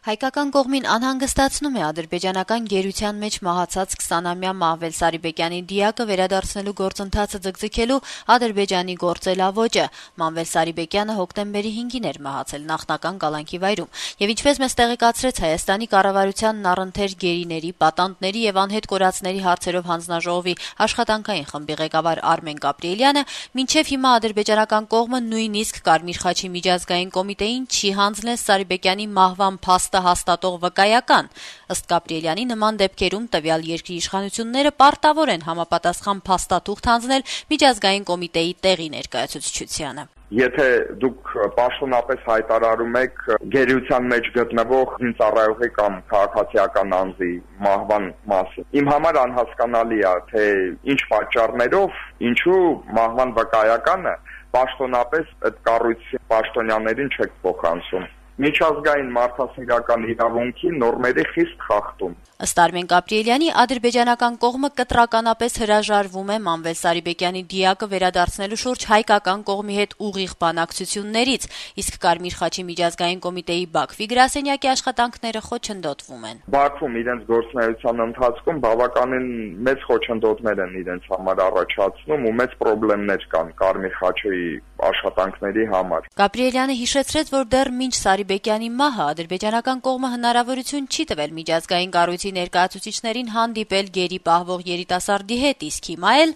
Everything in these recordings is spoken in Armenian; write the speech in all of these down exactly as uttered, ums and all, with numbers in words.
Հայկական կողմին անհանգստացնում է ադրբեջանական գերության մեջ մահացած քսանամյա Մահվել Սարիբեկյանի դիակը վերադարձնելու գործընթացը ձգձգելու Ադրբեջանի գործելավոճը։ Մահվել Սարիբեկյանը հոկտեմբերի հինգին էր մահացել նախնական կալանքի վայրում, եւ ինչպես մեզ տեղեկացրեց Հայաստանի կառավարությանն առընթեր գերիների, պատանդների եւ անհետ կորածների հարցերով հանձնաժողովի աշխատանքային խմբի ղեկավար Արմեն Գաբրիելյանը, մինչեւ հիմա ադրբեջանական կողմը նույնիսկ Կարմիր խաչի միջազգային կոմիտեին չի հանձնել Սարիբեկյանի մահվան փաստ հաստատող վկայական։ Ըստ Գաբրիելյանի, նման դեպքերում տվյալ երկրի իշխանությունները պարտավոր են համապատասխան փաստաթուղթ հանձնել միջազգային կոմիտեի տեղի ներկայացուցչությանը։ Եթե դուք պաշտոնապես հայտարարում եք գերության մեջ գտնվող ծառայողի կամ քաղաքացիական անձի մահվան մասին, իմ համար անհասկանալի է, թե ինչ պատճառներով, ինչու մահվան վկայականը պաշտոնապես այդ կառույցի պաշտոնյաներին չեք փոխանցում։ Միջազգային մարդասիրական իրավունքի նորմերի խիստ խախտում։ Ըստ Արմեն Գաբրիելյանի, ադրբեջանական կողմը կտրականապես հրաժարվում է Մահվել Սարիբեկյանի դիակը վերադարձնելու շուրջ հայկական կողմի հետ ուղիղ բանակցություններից, իսկ Կարմիր խաչի միջազգային կոմիտեի Բաքվի գրասենյակի աշխատանքները խոչընդոտվում են։ Բաքվում իրենց գործունեության ընթացքում բավականին մեծ խոչընդոտներ են իրենց համար առաջացնում ու մեծ խնդիրներ կան Կարմիր խաչի աշխատանքների համար։ Գաբրիելյանը հիշեցրեց, որ դեռ մինչ Սարիբեկյանի մահը ադրբեջանական կողմը հնարավորություն չի տվել միջազգային կառույցի ներկայացուցիչներին հանդիպել գերի պահվող երիտասարդի հետ, իսկ հիմա էլ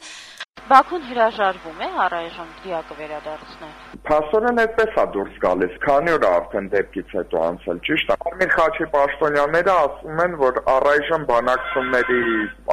Բաքուն հրաժարվում է առայժմ դիակը վերադարձնել։ Փաստորեն այդպես է դուրս գալիս, քանի օր արդեն դեպքից հետո անցել, ճիշտ է։ Կարմիր խաչի պաշտոնյաները ասում են, որ առայժմ բանակցությունների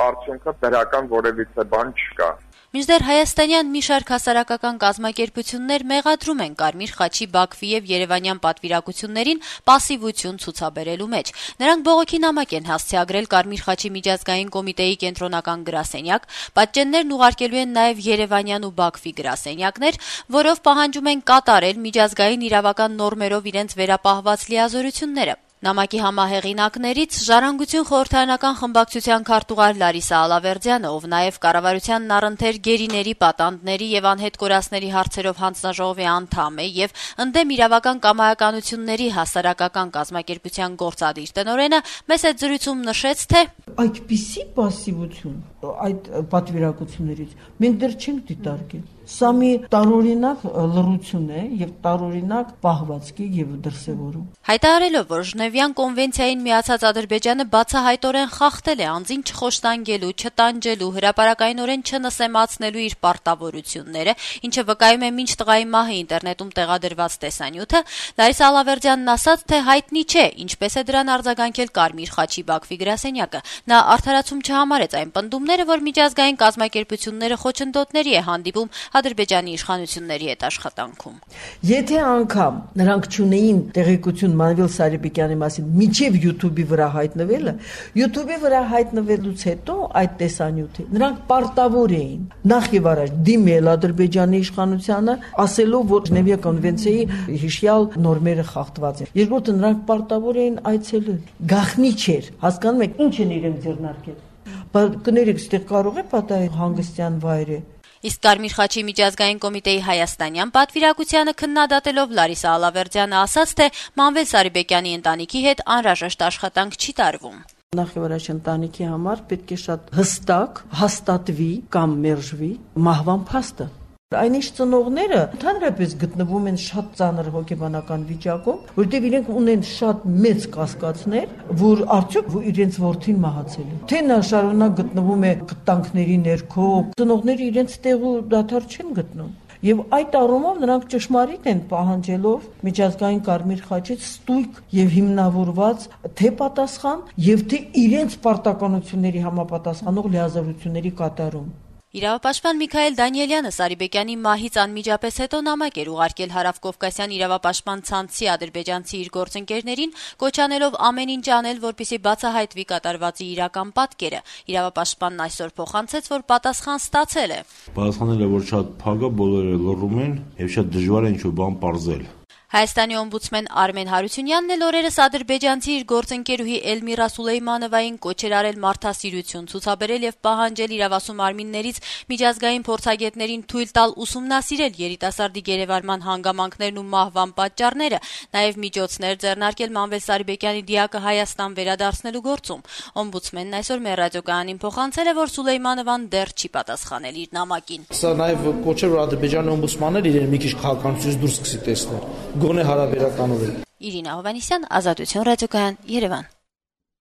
արդյունքը դրական որևիցե բան չկա։ Մինչդեռ հայաստանյան մի շարք հասարակական կազմակերպություններ մեղադրում են Կարմիր խաչի Բաքվի եւ Երևանյան պատվիրակություններին պասիվություն ցուցաբերելու մեջ։ Նրանք բողոքի նամակ են հասցեագրել Կարմիր խաչի միջազգային կոմիտեի կենտրոնական գրասենյակ, պատճեններն ուղարկելու են նաեւ Երևանյան ու Բաքվի գրասենյակներ, որով պահանջում են կատարել միջազգային իրավական նորմերով իրենց վերապահված լիազորությունները։ Նամակի համահեղինակներից Ժառանգություն խորհրդարանական խմբակցության քարտուղար Լարիսա Ալավերդյանը, ով նաև կառավարությանն առընթեր գերիների, պատանդների եւ անհետ կորածների հարցերով հանձնաժողովի անդամ է եւ ընդդեմ իրավական կամայականությունների հասարակական կազմակերպության գործադիր տնօրենը, մեծ այդ զրույցում նշեց, թե այդպիսի պասիվություն այդ պատվիրակություններից մենք դեռ չենք դիտարկել։ Սա մի տարօրինակ լռություն է եւ տարօրինակ պահվածքի եւ դրսեւորում։ Հայտարարելով, որ Ժնևյան կոնվենցիային միացած Ադրբեջանը բացահայտորեն խախտել է անձին չխոշտանգելու, չտանջելու, հրապարակայնորեն չնսեմացնելու իր պարտավորությունները, ինչը վկայում է մինչ տղայի մահը ինտերնետում տեղադրված տեսանյութը, Լարիսա Ալավերդյանն ասաց, թե հայտնի չէ, ինչպես է դրան արձագանքել Կարմիր խաչի Բաքվի գրասենյակը։ Նա արդարացում չհամարեց այն պնդումները, որ միջազգային կազմակերպությունները խոչընդոտների է հանդիպում Ադրբեջանի իշխանությունների հետ աշխատանքում։ Եթե անգամ նրանք չունեին տեղեկություն Մահվել Սարիբեկյանի մասին միջև YouTube-ի վրա հայտնվելը, YouTube-ի վրա հայտնվելուց հետո այդ տեսանյութը նրանք պարտավոր էին նախ եւ առաջ դիմել Ադրբեջանի իշխանությանը, ասելով, որ Ժնևիա կոնվենցիայի հիշյալ նորմերը խախտված են։ Երկրորդը նրանք պարտավոր էին այցելել։ Գախնի չէր, հասկանում եք, ինչ են իրենք ձեռնարկել։ Բայց կներեք, ստեղ կարող է պատահել հանգստյան վայր է։ Իսկ Կարմիր խաչի միջազգային կոմիտեի հայաստանյան պատվիրակությանը քննադատելով Լարիսա Ալավերդյանը ասաց, թե Մահվել Սարիբեկյանի ընտանիքի հետ անհրաժեշտ աշխատանք չի տարվում։ Նախ եւ առաջ ընտանիքի համար պետք է շատ հստակ հաստատվի կամ մերժվի մահվան փաստը։ Այնիշ ծնողները ընդհանրապես գտնվում են շատ ծանր հոգեբանական վիճակում, որտեղ իրենք ունեն շատ մեծ կասկածներ, որ արդյոք իրենց որդին մահացել է։ Թե նա շարունակ գտնվում է կտանքների ներքո, ծնողները իրենց տեղ ու դադար չեն գտնում։ Եվ այդ առումով նրանք ճշմարիտ են պահանջելով միջազգային Կարմիր խաչից ստույգ եւ հիմնավորված թե պատասխան եւ թե իրենց պարտականությունների համապատասխանող լիազորությունների կատարում։ Իրավապաշտպան Միքայել Դանիելյանը Սարիբեկյանի մահից անմիջապես հետո նամակ էր ուղարկել Հարավկովկասյան իրավապաշտպան ցանցի ադրբեջանցի իր գործընկերներին, կոչանելով ամեն ինչ անել, որպեսզի բացահայտվի կատարվածի իրական պատկերը։ Իրավապաշտպանն այսօր փոխանցեց, որ պատասխան ստացել է։ Պատասխանել է, որ շատ փակ է, բոլորը լռում են եւ շատ դժվար է ինչ-որ բան պարզել։ Հայաստանի օմբուդսմեն Արմեն Հարությունյանն էլ օրերս ադրբեջանցի իր գործընկերուհի Էլմիրա Սուլեյմանովային կոչեր արել մարդասիրություն ցուցաբերել եւ պահանջել իրավասու մարմիններից միջազգային փորձագետներին թույլ տալ ուսումնասիրել երիտասարդի գերեվարման հանգամանքներն ու մահվան պատճառները, նաեւ միջոցներ ձեռնարկել Մանվել Սարիբեկյանի դիակը Հայաստան վերադարձնելու գործում։ Օմբուդսմենն այսօր մեր ռադիոկայանին փոխանցել է, որ Սուլեյմանովան դեռ չի պատասխանել իր նամակին։ Սա նաեւ կոչեր, որ ադրբեջանի օմբուդսմանն էլ իրեն մի քիչ քաղաքականությունից դուրս սկսի տեսնել։ Գոնե հարաբերականորեն։ Իրինա Հովհաննիսյան, Ազատություն ռադիոկայան, Երևան։